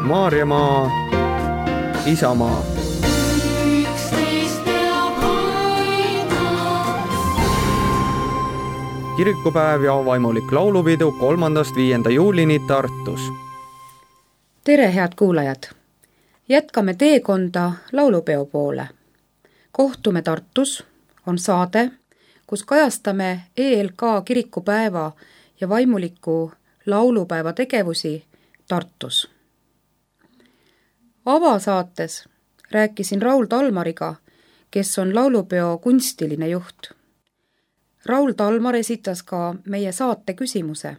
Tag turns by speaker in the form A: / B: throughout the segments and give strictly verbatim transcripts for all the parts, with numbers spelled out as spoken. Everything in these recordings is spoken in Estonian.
A: Maarjamaa, Isamaa. Kirikupäev ja vaimulik laulupidu kolmandast viienda juulini Tartus.
B: Tere, head kuulajad! Jätkame teekonda laulupeo poole. Kohtume Tartus on saade, kus kajastame E L K kirikupäeva ja vaimuliku laulupäeva tegevusi Tartus. Avasaates rääkisin Raul Talmariga, kes on laulupeo kunstiline juht. Raul Talmar esitas ka meie saate küsimuse,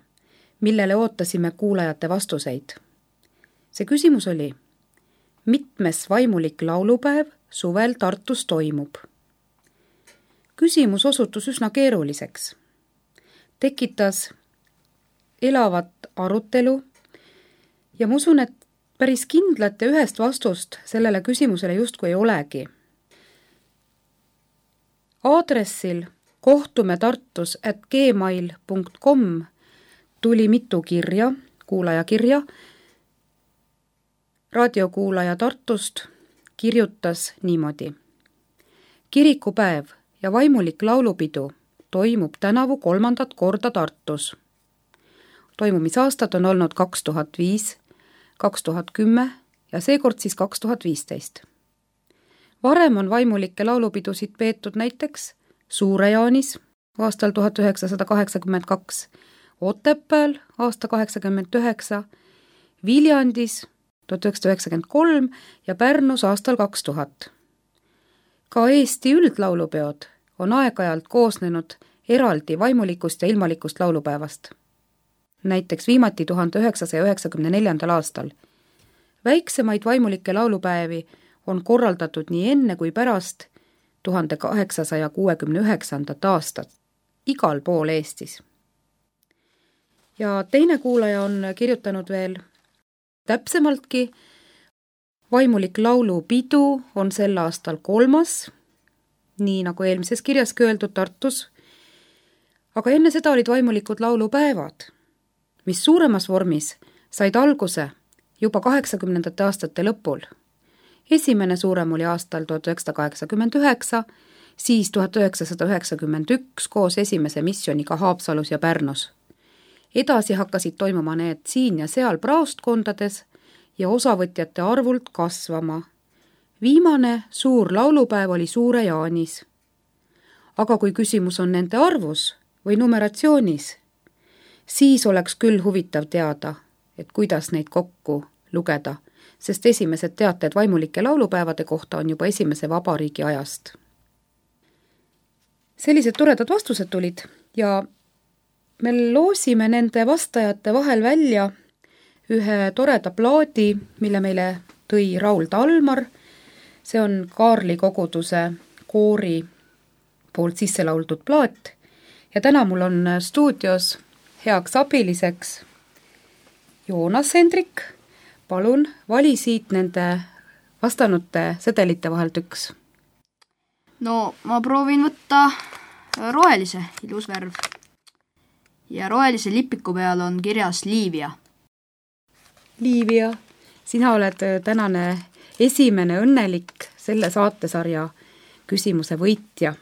B: millele ootasime kuulajate vastuseid. See küsimus oli, mitmes vaimulik laulupäev suvel Tartus toimub? Küsimus osutus üsna keeruliseks. Tekitas elavat arutelu ja ma usun, et päris kindlat ja ühest vastust sellele küsimusele justkui ei olegi. Aadressil kohtume tartus at gmail punkt com tuli mitu kirja, kuulajakirja. Raadiokuulaja Tartust kirjutas niimoodi. Kirikupäev ja vaimulik laulupidu toimub tänavu kolmandat korda Tartus. Toimumisaastad on olnud kaks tuhat viis, kaks tuhat kümme ja seekord siis kaks tuhat viisteist. Varem on vaimulikke laulupidusid peetud näiteks Suure-Jaanis aastal tuhat üheksasada kaheksakümmend kaks, Otepääl aasta kaheksakümmend üheksa, Viljandis tuhat üheksasada üheksakümmend kolm ja Pärnus aastal kaks tuhat. Ka Eesti üldlaulupeod on aeg-ajalt koosnenud eraldi vaimulikust ja ilmalikust laulupäevast. Näiteks viimati tuhande üheksasaja üheksakümne neljandal aastal. Väiksemaid vaimulikke laulupäevi on korraldatud nii enne kui pärast tuhande kaheksasaja kuuekümne üheksandat aastat igal pool Eestis. Ja teine kuulaja on kirjutanud veel täpsemaltki, vaimulik laulupidu on sel aastal kolmas, nii nagu eelmises kirjaski öeldud Tartus, aga enne seda olid vaimulikud laulupäevad, mis suuremas vormis said alguse juba kaheksakümnendate aastate lõpul. Esimene suurem oli aastal tuhat üheksasada kaheksakümmend üheksa, siis tuhat üheksasada üheksakümmend üks koos esimese missiooniga Haapsalus ja Pärnus. Edasi hakkasid toimuma need siin ja seal praostkondades ja osavõtjate arvult kasvama. Viimane suur laulupäev oli Suure-Jaanis. Aga kui küsimus on nende arvus või numeratsioonis, siis oleks küll huvitav teada, et kuidas neid kokku lugeda, sest esimesed teated vaimulike laulupäevade kohta on juba esimese vabariigi ajast. Sellised toredad vastused tulid ja me loosime nende vastajate vahel välja ühe toreda plaadi, mille meile tõi Raul Talmar. See on Kaarli koguduse koori poolt sisse lauldud plaat ja täna mul on stuudios heaks abiliseks Joonas Hendrik. Palun, vali siit nende vastanute sedelite vahelt üks.
C: No, ma proovin võtta rohelise, ilus värv. Ja rohelise lipiku peal on kirjas Liivia.
B: Liivia, sina oled tänane esimene õnnelik selle saatesarja küsimuse võitja.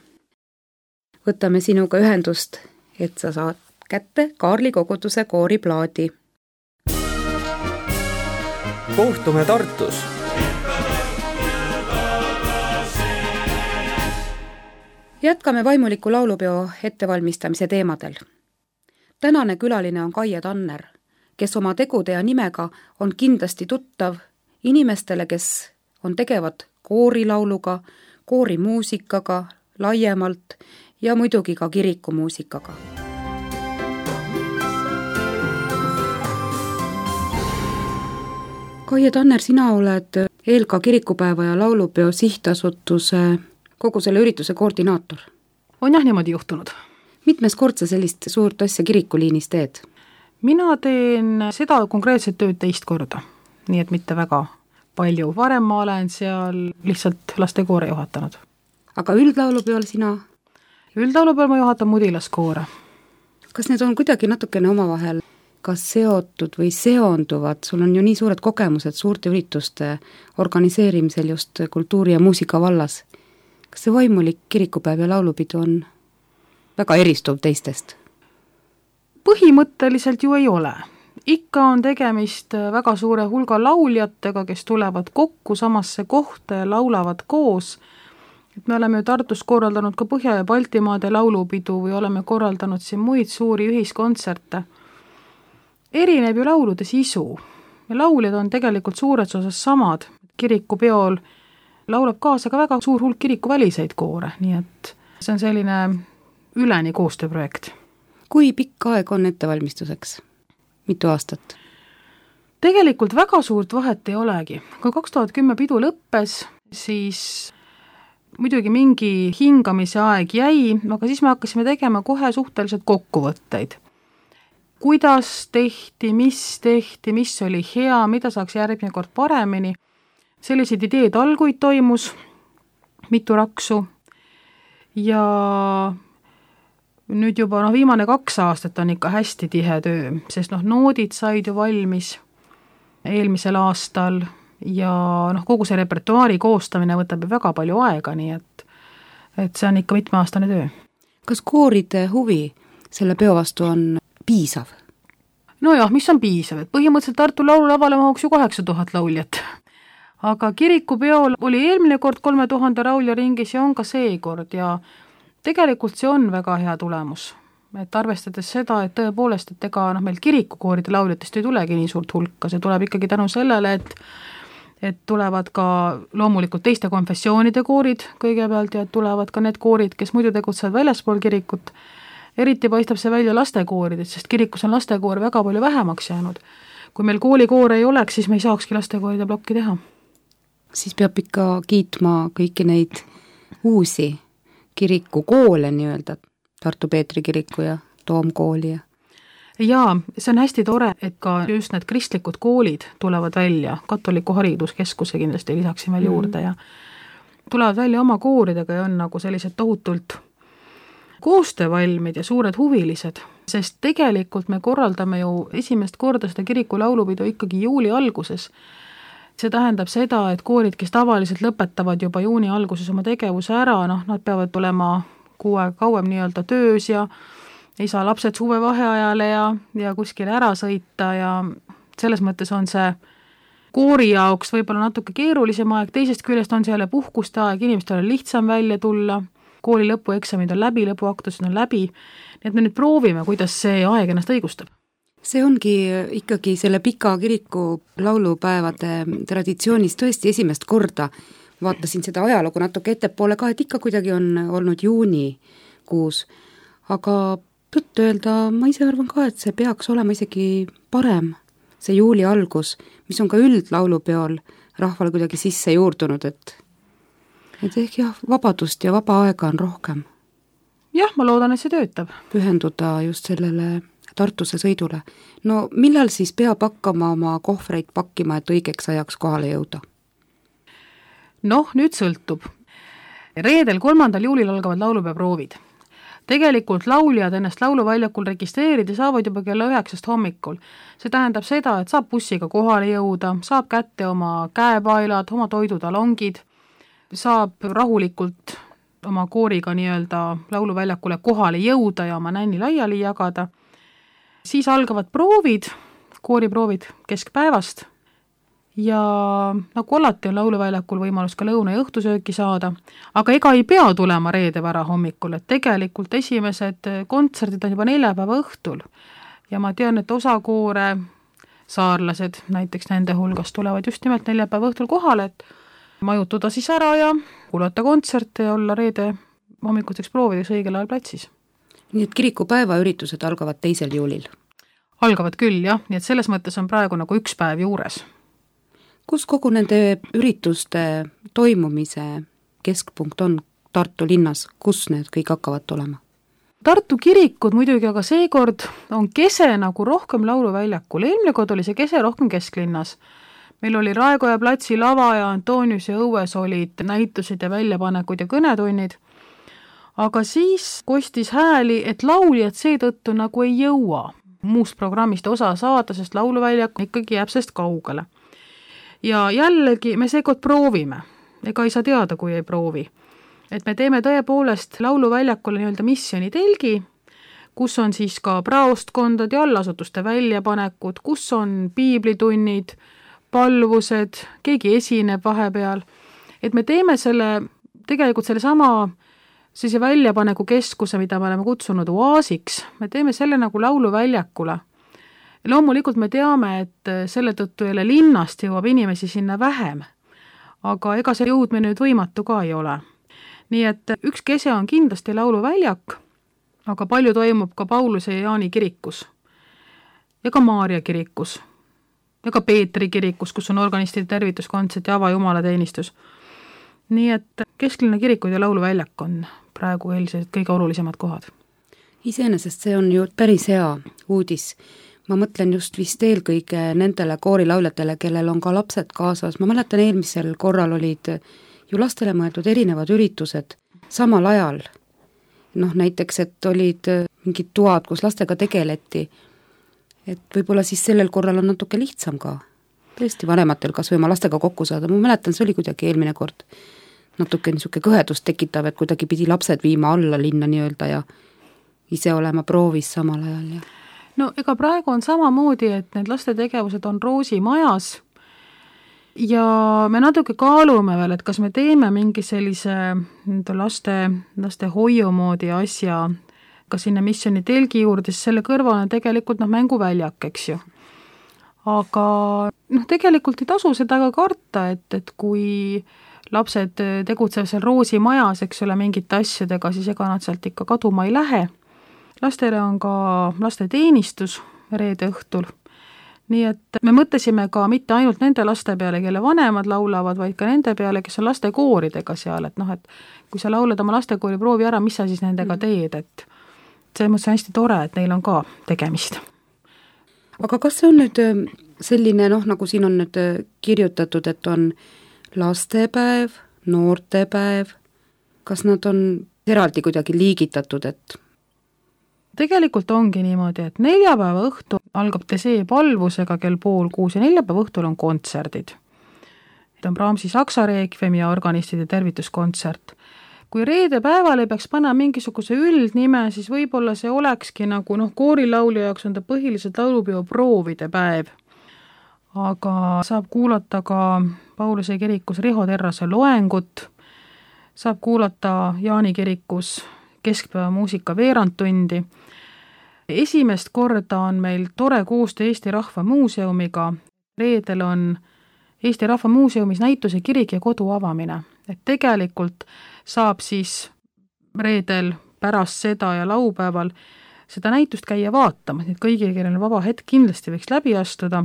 B: Võtame sinuga ühendust, et sa saad kätte Kaarli koguduse kooriplaadi.
A: Kohtume Tartus.
B: Jätkame vaimuliku laulupeo ettevalmistamise teemadel. Tänane külaline on Kaie Tanner, kes oma tegude ja nimega on kindlasti tuttav inimestele, kes on tegevad koorilauluga, koorimuusikaga laiemalt ja muidugi ka kirikumuusikaga. Kaie Tanner, sina oled E L K kirikupäeva ja laulupeo sihtasutuse kogu selle ürituse koordinaator.
D: On jah niimoodi juhtunud.
B: Mitmes kord sa sellist suurt asja kirikuliinis teed?
D: Mina teen seda konkreetset tööd teist korda, nii et mitte väga palju. Varem ma olen seal lihtsalt lastekoore juhatanud.
B: Aga üldlaulupeol sina?
D: Üldlaulupeol ma juhatan mudilaskoore.
B: Kas need on kuidagi natukene omavahel kas seotud või seonduvad, sul on ju nii suured kogemused suurte ürituste organiseerimisel just kultuuri ja muusika vallas. Kas see vaimulik kirikupäev ja laulupidu on väga eristuv teistest?
D: Põhimõtteliselt ju ei ole. Ikka on tegemist väga suure hulga lauljatega, kes tulevad kokku samasse kohta ja laulavad koos. Et me oleme ju Tartus korraldanud ka Põhja- ja Baltimaade laulupidu või oleme korraldanud siin muid suuri ühiskontserte. Erineb ju laulude sisu ja lauljad on tegelikult suures osas samad. Kirikupeol laulab kaasa ka väga suur hulk kirikuväliseid koore, nii et see on selline üleni koostööprojekt.
B: Kui pikk aeg on ettevalmistuseks? Mitu aastat?
D: Tegelikult väga suurt vahet ei olegi. Kui kaks tuhat kümme pidu lõppes, siis muidugi mingi hingamise aeg jäi, aga siis me hakkasime tegema kohe suhteliselt kokkuvõtteid. Kuidas tehti, mis tehti, mis oli hea, mida saaks järgmine kord paremini. Selliseid ideed alguid toimus, mitu raksu ja nüüd juba no, viimane kaks aastat on ikka hästi tihe töö, sest noh, noodid said ju valmis eelmisel aastal ja noh, kogu see repertuaari koostamine võtab ju väga palju aega, nii et, et see on ikka mitmeaastane töö.
B: Kas kooride huvi selle peo vastu on piisav?
D: No jah, mis on piisav, et põhimõtteliselt Tartu laululavale mahuks ju kaheksa tuhat lauljat. Aga kirikupeol oli eelmine kord kolme tuhande laulja ringis ja on ka seekord ja tegelikult see on väga hea tulemus. Et arvestades seda, et tõepoolest, et ega noh, meil kirikukooride lauljatest ei tulegi nii suurt hulka, see tuleb ikkagi tänu sellele, et et tulevad ka loomulikult teiste konfessioonide koorid kõigepealt ja tulevad ka need koorid, kes muidu tegutsevad väljaspool kirikut. Eriti paistab see välja lastekooridest, sest kirikus on lastekoor väga palju vähemaks jäänud. Kui meil koolikoore ei oleks, siis me ei saakski lastekooride plokki teha.
B: Siis peab ikka kiitma kõiki neid uusi kirikukoole nii-öelda, Tartu Peetri kiriku ja Toomkooli ja
D: Jaa, see on hästi tore, et ka just need kristlikud koolid tulevad välja, katoliku hariduskeskuse kindlasti lisaksin veel juurde ja tulevad välja oma kooridega ja on nagu sellised tohutult koostöövalmid ja suured huvilised, sest tegelikult me korraldame ju esimest korda seda kiriku laulupidu ikkagi juuli alguses. See tähendab seda, et koorid, kes tavaliselt lõpetavad juba juuni alguses oma tegevuse ära, noh, nad peavad tulema kuu aega kauem nii-öelda töös ja ei saa lapsed suve vaheajale ja, ja kuskile ära sõita ja selles mõttes on see koori jaoks võib-olla natuke keerulisem aeg, teisest küljest on see jälle puhkuste aeg, inimestel on lihtsam välja tulla, kooli lõpueksamid on läbi, lõpuaktused on läbi, nii et me nüüd proovime, kuidas see aeg ennast õigustab.
B: See ongi ikkagi selle pika kiriku laulupäevade traditsioonis tõesti esimest korda. Vaatasin seda ajalugu natuke ettepoole ka, et ikka kuidagi on olnud juunikuus, aga tõtt öelda, ma ise arvan ka, et see peaks olema isegi parem, see juuli algus, mis on ka üldlaulupeol rahvale kuidagi sisse juurdunud, et, et ehk jah, vabadust ja vaba aega on rohkem.
D: Jah, ma loodan, et see töötab.
B: Pühenduda just sellele Tartuse sõidule. No millal siis peab hakkama oma kohvreid pakkima, et õigeks ajaks kohale jõuda?
D: Noh, nüüd sõltub. Reedel kolmandal juulil algavad laulupeoproovid. Tegelikult lauljad ennast lauluväljakul registreerida saavad juba kella üheksast hommikul. See tähendab seda, et saab bussiga kohale jõuda, saab kätte oma käepailad, oma toidutalongid, saab rahulikult oma kooriga nii-öelda lauluväljakule kohale jõuda ja oma nänni laiali jagada. Siis algavad proovid, kooriproovid keskpäevast ja nagu alati on lauluväljakul võimalus ka lõuna ja õhtusööki saada, aga ega ei pea tulema reede vara hommikul, et tegelikult esimesed kontserdid on juba neljapäeva õhtul ja ma tean, et osa koore saarlased, näiteks nende hulgas tulevad just nimelt neljapäeva õhtul kohale, et majutuda siis ära ja kuulata kontserte ja olla reede hommikuteks proovideks õigel ajal platsis.
B: Nii et kirikupäeva üritused algavad teisel juulil?
D: Algavad küll, jah, nii et selles mõttes on praegu nagu üks päev juures.
B: Kus kogu nende ürituste toimumise keskpunkt on Tartu linnas, kus need kõik hakkavad olema?
D: Tartu kirikud muidugi, aga seekord on kese nagu rohkem lauluväljakul. Eelmine kord oli see kese rohkem kesklinnas. Meil oli Raekoja platsi lava ja Antonius ja õues olid näitused ja väljapanekud ja kõnetunnid. Aga siis kostis hääli, et lauljad seetõttu nagu ei jõua. muust programmist osa saada, sest lauluväljak ikkagi jääb sellest kaugele. Ja jällegi me seekord proovime, ega ei saa teada, kui ei proovi. Et me teeme tõepoolest lauluväljakule nii-öelda missiooni telgi, kus on siis ka praostkondade ja allasutuste väljapanekud, kus on piiblitunnid, palvused, keegi esineb vahepeal. Et me teeme selle, tegelikult selle sama sellise väljapaneku keskuse, mida me oleme kutsunud oaasiks, me teeme selle nagu lauluväljakule. Loomulikult me teame, et selle tõttu jälle linnast jõuab inimesi sinna vähem, aga ega see jõudmine nüüd võimatu ka ei ole. Nii et üks kese on kindlasti lauluväljak, aga palju toimub ka Pauluse ja Jaani kirikus ja ka Maarja kirikus ja ka Peetri kirikus, kus on organistide tervituskontsert ja avajumalateenistus. Nii et kesklinna kirikud ja lauluväljak on praegu eelised kõige olulisemad kohad.
B: Iseenesest see on ju päris hea uudis. Ma mõtlen just vist eelkõige nendele koorilauljatele, kellel on ka lapsed kaasas. Ma mäletan, eelmisel korral olid ju lastele mõeldud erinevad üritused samal ajal. Noh, näiteks, et olid mingid toad, kus lastega tegeleti. Et võib-olla siis sellel korral on natuke lihtsam ka. Tõesti vanematel kas või oma lastega kokku saada. Ma mäletan, see oli kuidagi eelmine kord natuke niisugune kõhedust tekitav, et kuidagi pidi lapsed viima alla linna nii-öelda ja ise olema proovis samal ajal. Ja.
D: No ega praegu on samamoodi, et need laste tegevused on Roosi majas ja me natuke kaalume veel, et kas me teeme mingi sellise laste, laste hoiu moodi asja ka sinna missiooni telgi juurde, siis selle kõrval on tegelikult noh, mänguväljak, eks ju. Aga noh, tegelikult ei tasu seda ka karta, et, et kui lapsed tegutsevad seal Roosi majas, eks ole, mingite asjadega, siis ega nad sealt ikka kaduma ei lähe. Lastele on ka laste teenistus reede õhtul. Nii et me mõtlesime ka mitte ainult nende laste peale, kelle vanemad laulavad, vaid ka nende peale, kes on lastekooridega seal, et noh, et kui sa laulad oma lastekoori, proovi ära, mis sa siis nendega teed, et see mõttes on hästi tore, et neil on ka tegemist.
B: Aga kas see on nüüd selline, noh, nagu siin on nüüd kirjutatud, et on lastepäev, noortepäev, kas nad on eraldi kuidagi liigitatud, et
D: tegelikult ongi niimoodi, et neljapäeva õhtu algab Tesee palvusega kell pool kuus ja neljapäeva õhtul on kontserdid. on Brahmsi saksa reekvem ja organistide tervituskontsert. Kui reede päeval ei peaks panna mingisuguse üldnime, siis võib-olla see olekski nagu noh, koorilaulja jaoks on ta põhiliselt laulupeo proovide päev. Aga saab kuulata ka Pauluse kirikus Riho Terrase loengut, saab kuulata Jaani kirikus keskpäeva muusika veerandtundi. Esimest korda on meil tore koostöö Eesti Rahva Muuseumiga. Reedel on Eesti Rahva Muuseumis näituse kirik ja kodu avamine. Et tegelikult saab siis reedel pärast seda ja laupäeval seda näitust käia vaatama, et kõigil, kellel on vaba hetk, kindlasti võiks läbi astuda.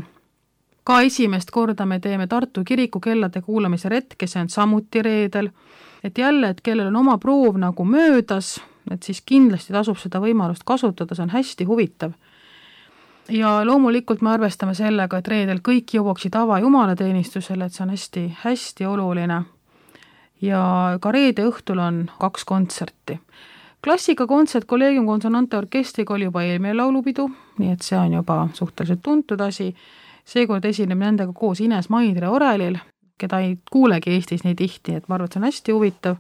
D: Ka esimest korda me teeme Tartu kiriku kellade kuulamise retke, see on samuti reedel. Et jälle, et kellel on oma proov nagu möödas, et siis kindlasti tasub seda võimalust kasutada, see on hästi huvitav. Ja loomulikult me arvestame sellega, et reedel kõik jõuaksid ava jumalateenistusele, et see on hästi, hästi oluline. Ja ka reede õhtul on kaks kontserti. Klassika kontsert Collegium Consonante Orkestriga oli juba eelmine laulupidu, nii et see on juba suhteliselt tuntud asi. Seekord esineb nendega koos Ines Maidre Orelil, keda ei kuulegi Eestis nii tihti, et ma arvan, et see on hästi huvitav.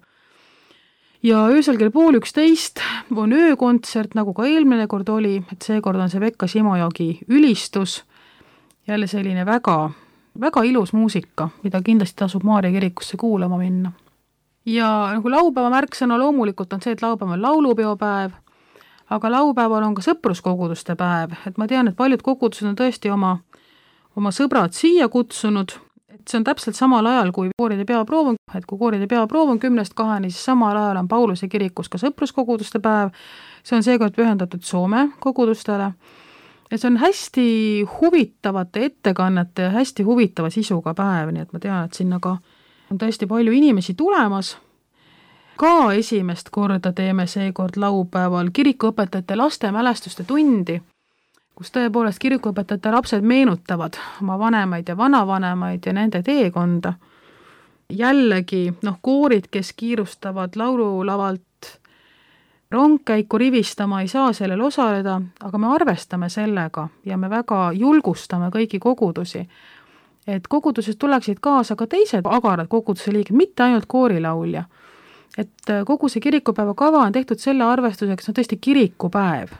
D: Ja öösel kell pool üksteist on öökontsert, nagu ka eelmine kord oli, et seekord on see Pekka Simojogi ülistus, jälle selline väga, väga ilus muusika, mida kindlasti tasub Maarja kirikusse kuulama minna. Ja nagu laupäeva märksõna loomulikult on see, et laupäev on laulupeopäev, aga laupäeval on ka sõpruskoguduste päev, et ma tean, et paljud kogudused on tõesti oma, oma sõbrad siia kutsunud, et see on täpselt samal ajal, kui kooride peaproov on, et kui kooride peaproov on kümnest kaheni, siis samal ajal on Pauluse kirikus ka sõpruskoguduste päev, see on seekord pühendatud Soome kogudustele, ja see on hästi huvitavate ettekannete ja hästi huvitava sisuga päev, nii et ma tean, et sinna ka on tõesti palju inimesi tulemas. Ka esimest korda teeme seekord laupäeval kirikuõpetajate laste mälestuste tundi, kus tõepoolest kirikuõpetajate lapsed meenutavad oma vanemaid ja vanavanemaid ja nende teekonda. Jällegi, noh, koorid, kes kiirustavad laululavalt rongkäiku rivistama ei saa sellel osaleda, aga me arvestame sellega ja me väga julgustame kõiki kogudusi, et kogudusest tuleksid kaasa ka teised agarad koguduse liikmed, mitte ainult koorilaulja. Et kogu see kirikupäeva kava on tehtud selle arvestuseks, no tõesti kirikupäev.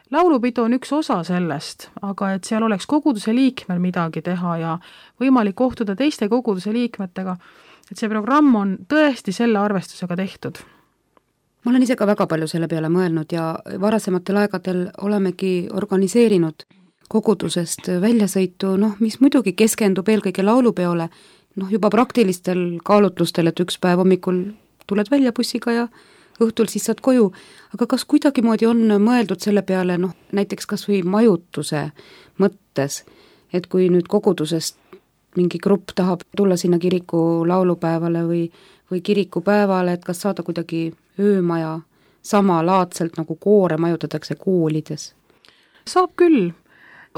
D: Laulupidu on üks osa sellest, aga et seal oleks koguduse liikmel midagi teha ja võimalik kohtuda teiste koguduse liikmetega, et see programm on tõesti selle arvestusega tehtud.
B: Ma olen ise ka väga palju selle peale mõelnud ja varasematel aegadel olemegi organiseerinud kogudusest väljasõitu, noh, mis muidugi keskendub eelkõige laulupeole, noh, juba praktilistel kaalutlustel, et üks päev hommikul tuled välja bussiga ja õhtul siis saad koju, aga kas kuidagimoodi on mõeldud selle peale, noh, näiteks kas või majutuse mõttes, et kui nüüd kogudusest mingi grupp tahab tulla sinna kiriku laulupäevale või, või kirikupäevale, et kas saada kuidagi öömaja samalaadselt nagu koore majutatakse koolides?
D: Saab küll.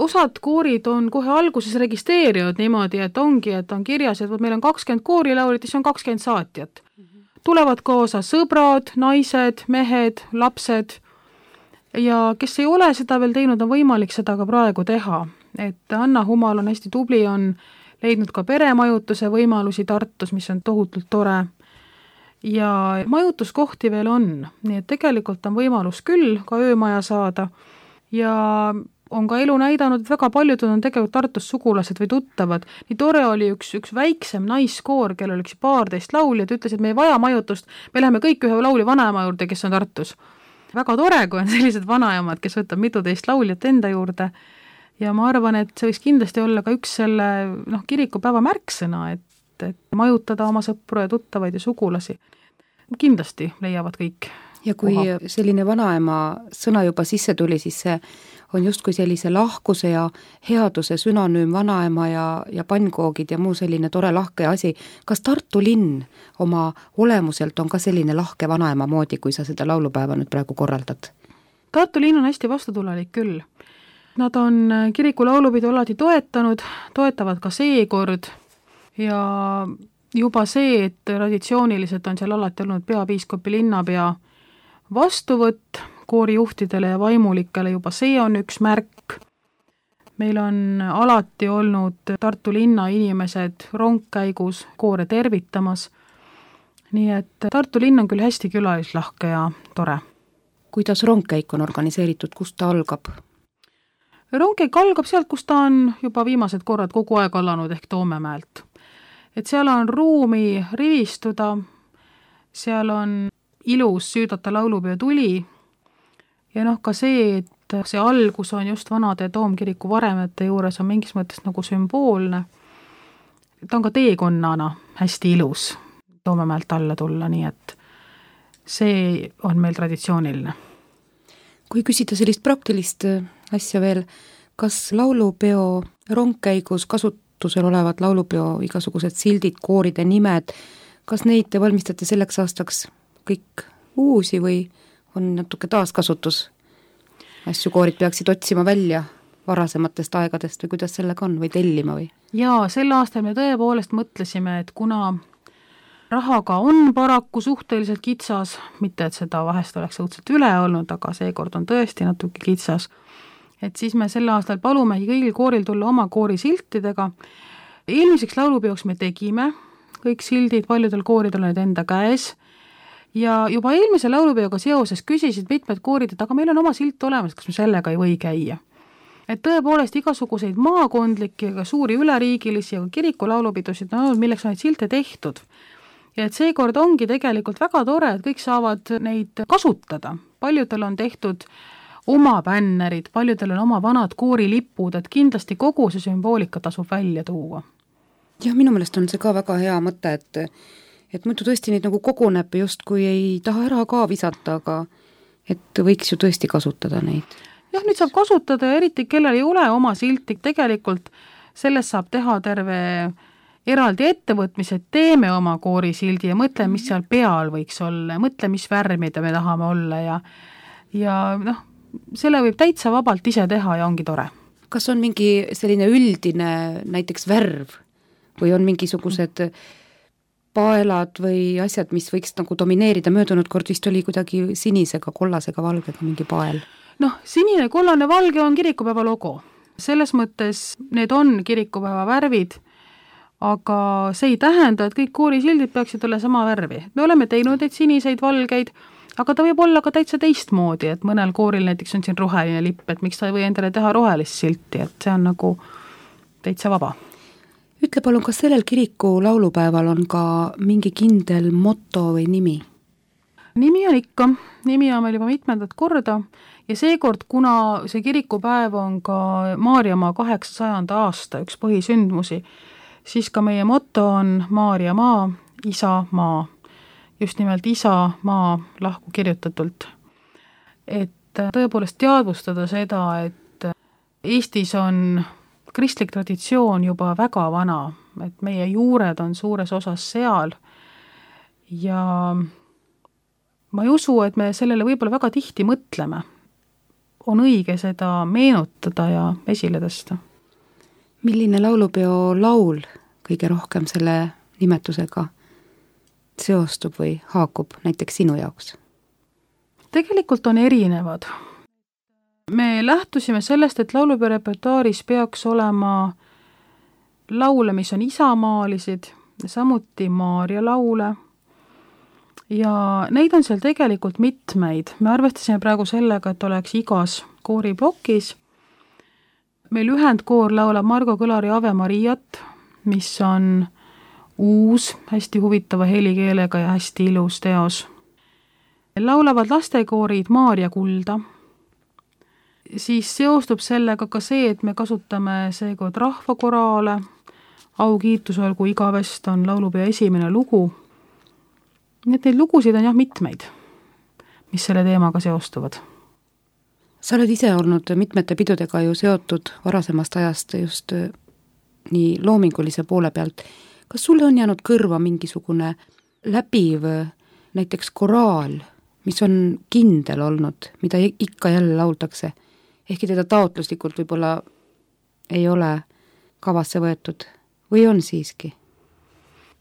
D: Osad koorid on kohe alguses registreerinud niimoodi, et ongi, et on kirjas, et meil on kakskümmend koorilaulit, siis on kakskümmend saatjat. Tulevad kaasa sõbrad, naised, mehed, lapsed ja kes ei ole seda veel teinud, on võimalik seda ka praegu teha. Et Anna Humal on hästi tubli, on leidnud ka peremajutuse võimalusi Tartus, mis on tohutult tore. Ja majutuskohti veel on, nii et tegelikult on võimalus küll ka öömaja saada ja on ka elu näidanud, et väga paljud on tegelikult Tartus sugulased või tuttavad. Nii tore oli üks, üks väiksem naiskoor, kellel üks paarteist lauljad, ütles, et me ei vaja majutust, me läheme kõik ühe lauli vanaema juurde, kes on Tartus. Väga tore, kui on sellised vanaemad, kes võtab mituteist lauljat enda juurde ja ma arvan, et see võiks kindlasti olla ka üks selle noh, kirikupäeva märksõna, et, et majutada oma sõpru ja tuttavaid ja sugulasi. Kindlasti leiavad kõik.
B: Ja kui koha. Selline vanaema sõna juba sisse tuli, siis see on justkui sellise lahkuse ja headuse sünonüüm vanaema ja, ja pannkoogid ja muu selline tore lahke asi. Kas Tartu linn oma olemuselt on ka selline lahke vanaema moodi, kui sa seda laulupäeva nüüd praegu korraldad?
D: Tartu linn on hästi vastutulelik küll. Nad on kiriku laulupidu alati toetanud, toetavad ka seekord ja juba see, et traditsiooniliselt on seal alati olnud peapiiskopi linnapea vastuvõtt koorijuhtidele ja vaimulikele, juba see on üks märk. Meil on alati olnud Tartu linna inimesed rongkäigus koore tervitamas, nii et Tartu linn on küll hästi külalislahke ja tore.
B: Kuidas rongkäik on organiseeritud, kust ta algab?
D: Rongkäik algab sealt, kus ta on juba viimased korrad kogu aeg alanud ehk Toomemäelt. Et seal on ruumi rivistuda, seal on ilus süüdata laulupeo tuli ja noh ka see, et see algus on just vanade toomkiriku varemete juures on mingis mõttes nagu sümboolne. Ta on ka teekonnana hästi ilus Toomemäelt alla tulla, nii et see on meil traditsiooniline.
B: Kui küsida sellist praktilist asja veel, kas laulupeo rongkäigus kasutusel olevad laulupeo igasugused sildid, kooride nimed, kas neid te valmistate selleks aastaks kõik uusi või on natuke taaskasutus? Asju koorid peaksid otsima välja varasematest aegadest või kuidas sellega on või tellima või?
D: Jaa, sel aastal me tõepoolest mõtlesime, et kuna rahaga on paraku suhteliselt kitsas, mitte et seda vahest oleks õudselt üle olnud, aga seekord on tõesti natuke kitsas, et siis me sel aastal palumegi kõigil kooril tulla oma koori siltidega. Eelmiseks laulupeoks me tegime kõik sildid, paljudel kooridel olid enda käes ja juba eelmise laulupeoga seoses küsisid mitmed koorid, et aga meil on oma silt olemas, kas me sellega ei või käia. Et tõepoolest igasuguseid maakondlikke ja suuri üleriigilisi ja kiriku laulupidusid on olnud, milleks on neid silte tehtud. Ja et seekord ongi tegelikult väga tore, et kõik saavad neid kasutada. Paljudel on tehtud oma bännerid, paljudel on oma vanad koorilipud, et kindlasti kogu see sümboolika tasub välja tuua.
B: Ja minu meelest on see ka väga hea mõte, et, et muidu tõesti neid nagu koguneb just kui ei taha ära ka visata, aga et võiks ju tõesti kasutada neid.
D: Jah, nüüd saab kasutada ja eriti kellel ei ole oma silti, tegelikult sellest saab teha terve eraldi ettevõtmised, teeme oma koorisildi ja mõtle, mis seal peal võiks olla, mõtle, mis värmida me tahame olla ja, ja noh, selle võib täitsa vabalt ise teha ja ongi tore.
B: Kas on mingi selline üldine näiteks värv või on mingisugused paelad või asjad, mis võiks nagu domineerida, möödunud kord vist oli kuidagi sinisega, kollasega, valgega mingi pael?
D: Noh, sinine, kollane, valge on kirikupäeva logo. Selles mõttes need on kirikupäeva värvid, aga see ei tähenda, et kõik koorisildid peaksid olla sama värvi. Me oleme teinud neid siniseid, valgeid, aga ta võib olla ka täitsa teistmoodi, et mõnel kooril näiteks on siin roheline lipp, et miks ta ei või endale teha rohelist silti, et see on nagu täitsa vaba.
B: Ütle palun, kas sellel kiriku laulupäeval on ka mingi kindel moto või nimi?
D: Nimi on ikka, nimi on meil juba mitmendat korda ja seekord, kuna see kirikupäev on ka Maarjamaa kaheksasajanda aasta üks põhisündmusi, siis ka meie moto on Maarjamaa, isa maa. Just nimelt isa maa lahku kirjutatult. Et tõepoolest teadvustada seda, et Eestis on kristlik traditsioon juba väga vana, et meie juured on suures osas seal ja ma ei usu, et me sellele võib-olla väga tihti mõtleme. On õige seda meenutada ja esile tõsta.
B: Milline laulupeo laul kõige rohkem selle nimetusega seostub või haakub näiteks sinu jaoks?
D: Tegelikult on erinevad. Me lähtusime sellest, et laulupeo repertuaaris peaks olema laule, mis on isamaalised, samuti Maarja laule ja neid on seal tegelikult mitmeid. Me arvestasime praegu sellega, et oleks igas kooriplokis. Meil ühendkoor laulab Margo Kõlari Ave Mariat, mis on uus, hästi huvitava helikeelega ja hästi ilus teos. Laulavad lastekoorid Maarja kulda. Siis seostub sellega ka see, et me kasutame seekord rahvakoraale. Au kiitus olgu igavest on laulupeo esimene lugu. Nii et neid lugusid on jah mitmeid, mis selle teemaga seostuvad.
B: Sa oled ise olnud mitmete pidudega ju seotud varasemast ajast just nii loomingulise poole pealt. Kas sulle on jäänud kõrva mingisugune läbiv näiteks koraal, mis on kindel olnud, mida ikka jälle lauldakse, ehkki teda taotluslikult võib-olla ei ole kavasse võetud või on siiski?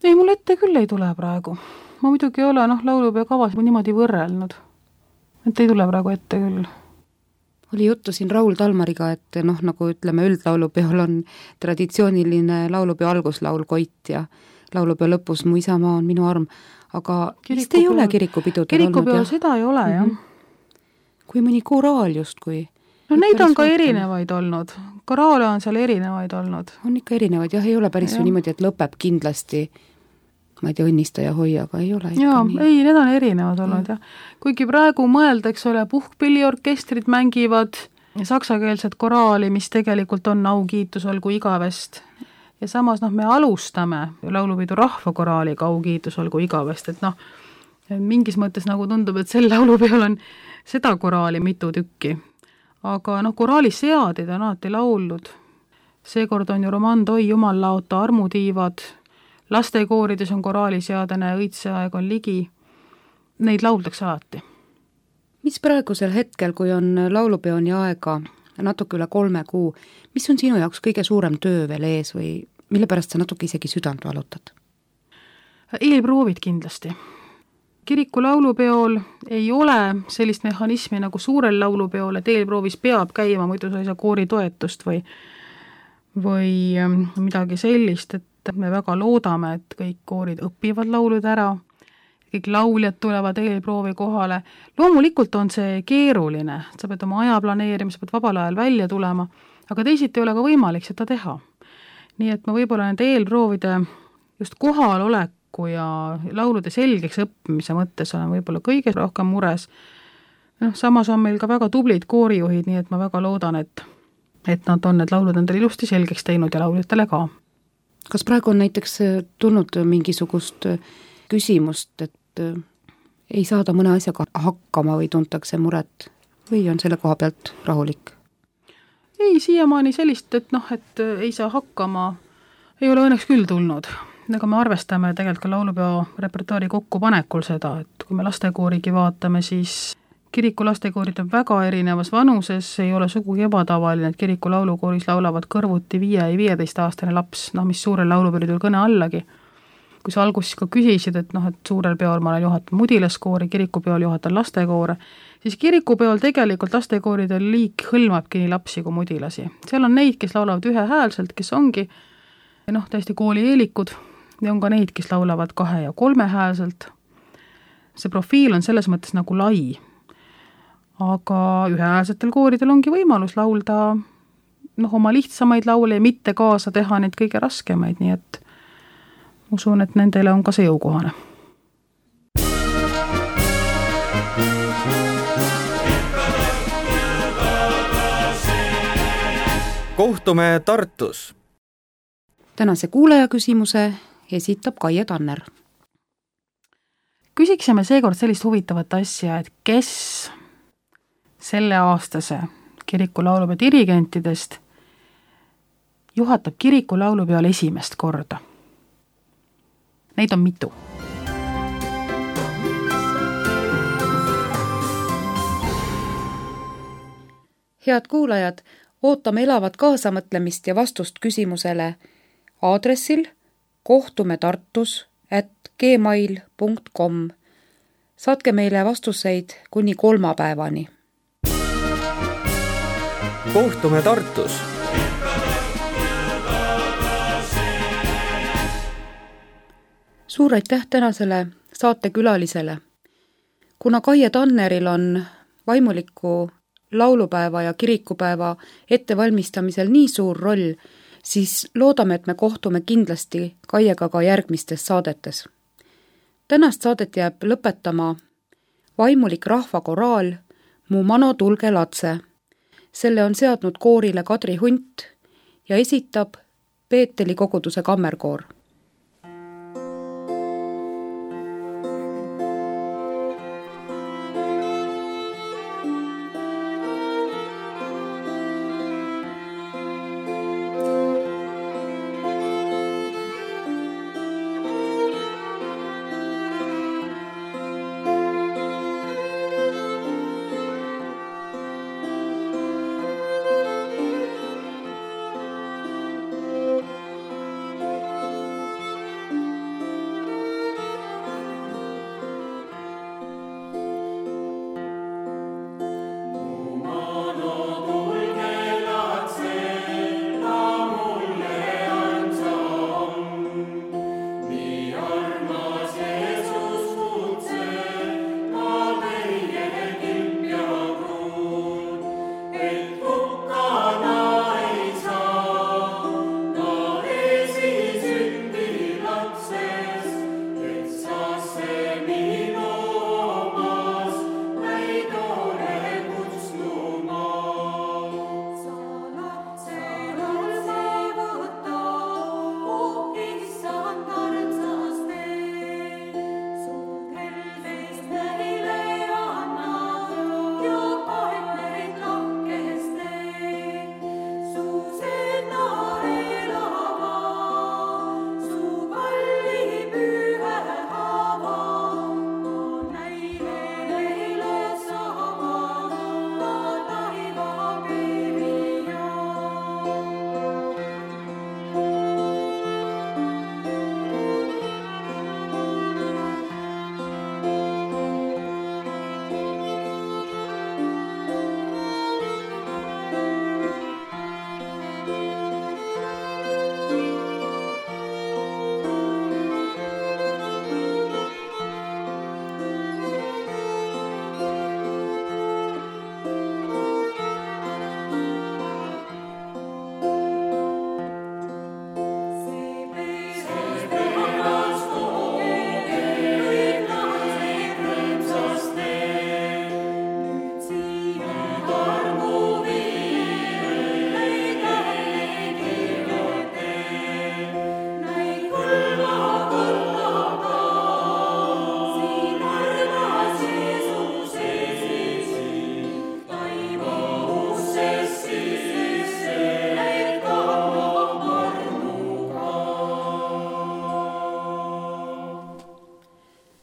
D: Ei, mul ette küll ei tule praegu. Ma muidugi ei ole noh, laulupeo kavas niimoodi võrrelnud. Et ei tule praegu ette küll.
B: Oli juttu siin Raul Talmariga, et noh, nagu ütleme, üldlaulupeol on traditsiooniline laulupeo alguslaul Koit ja laulupeo lõpus Mu isamaa on minu arm, aga vist ei ole kirikupidudel
D: kirikupeo olnud. Seda ei ole, jah.
B: Mm-hmm. Kui mõni koraal just, kui...
D: No neid on ka võtame. Erinevaid olnud. Koraale on seal erinevaid olnud.
B: On ikka erinevaid, jah, ei ole päris ju niimoodi, et lõpeb kindlasti ma ei tea, õnnista ja hoia, aga ei ole.
D: Jaa, ei, need on erinevad olnud, jah. Kuigi praegu mõeldaks ole puhkpilliorkestrid mängivad saksakeelset koraali, mis tegelikult on au kiitus olgu igavest. Ja samas noh, me alustame laulupidu rahvakoraaliga au kiitus olgu igavest, et noh, mingis mõttes nagu tundub, et sel laulupeol on seda koraali mitu tükki. Aga noh, koraali seadid on alati lauldud. Seekord on ju Roman Toi Jumal laota armutiivad, lastekoorides on koraaliseadene, õitseaeg on ligi. Neid lauldakse alati.
B: Mis praegusel hetkel, kui on laulupeoni aega natuke üle kolme kuu, mis on sinu jaoks kõige suurem töö veel ees või mille pärast sa natuke isegi südant valutad?
D: Eelproovid kindlasti. Kiriku laulupeol ei ole sellist mehhanismi nagu suurel laulupeol, et eelproovis peab käima, muidu sa ei saa koori toetust või, või midagi sellist, et me väga loodame, et kõik koorid õpivad laulud ära, kõik lauljad tulevad eelproovi kohale. Loomulikult on see keeruline, sa pead oma aja planeerima, sa pead vabal ajal välja tulema, aga teisiti ei ole ka võimalik seda teha. Nii et ma võib-olla nende eelproovide just kohaloleku ja laulude selgeks õppimise mõttes olen võib-olla kõige rohkem mures. No, samas on meil ka väga tublid koorijuhid, nii et ma väga loodan, et, et nad on need laulud endale ilusti selgeks teinud ja lauljatele ka.
B: Kas praegu on näiteks tulnud mingisugust küsimust, et ei saada mõne asjaga hakkama või tuntakse muret või on selle koha pealt rahulik?
D: Ei, siiamaani sellist, et noh, et ei saa hakkama, ei ole õnneks küll tulnud. Aga me arvestame tegelikult ka laulupeo repertuaari kokkupanekul seda, et kui me lastekoorigi vaatame, siis kiriku lastekoorid on väga erinevas vanuses, ei ole sugugi ebatavaline, et kiriku laulukooris laulavad kõrvuti viie ja viieteist aastane laps, noh mis suurel laulupeol kõne allagi. kui sa alguses ka küsisid, et noh, et suurel peol ma olen juhatan mudilaskoori, kirikupeol juhatan lastekoore, siis kirikupeol tegelikult lastekooride liik hõlmabki nii lapsi kui mudilasi. Seal on neid, kes laulavad ühehäälselt, kes ongi noh, täiesti koolieelikud ja on ka neid, kes laulavad kahe- ja kolmehäälselt. See profiil on selles mõttes nagu lai, aga ühehäälsetel kooridel ongi võimalus laulda noh, oma lihtsamaid laule ja mitte kaasa teha neid kõige raskemaid, nii et usun, et nendele on ka see jõukohane.
A: Kohtume Tartus.
B: Tänase kuulaja küsimuse esitab Kaie Tanner.
D: Küsiksime seekord sellist huvitavat asja, et kes selle aastase kiriku laulupeo dirigentidest juhatab kiriku laulupeol esimest korda. Neid on mitu.
B: Head kuulajad, ootame elavat kaasamõtlemist ja vastust küsimusele aadressil kohtume tartus at gmail punkt com. Saatke meile vastuseid kuni kolmapäevani.
A: Kohtume Tartus.
B: Suur aitäh tänasele saatekülalisele. Kuna Kaie Tanneril on vaimuliku laulupäeva ja kirikupäeva ettevalmistamisel nii suur roll, siis loodame, et me kohtume kindlasti Kaiega ka järgmistes saadetes. Tänast saadet jääb lõpetama vaimulik rahvakoraal Mu mano tulge latse. Selle on seadnud koorile Kadri Hunt ja esitab Peeteli koguduse kammerkoor.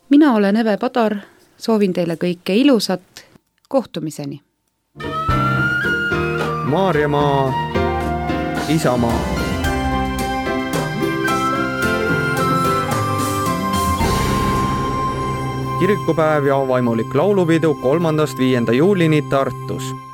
B: Mina olen Eve Padar, soovin teile kõike ilusat, kohtumiseni.
A: Maarjamaa, Isamaa. kirikupäev ja vaimulik laulupidu kolmandast viienda juulini Tartus.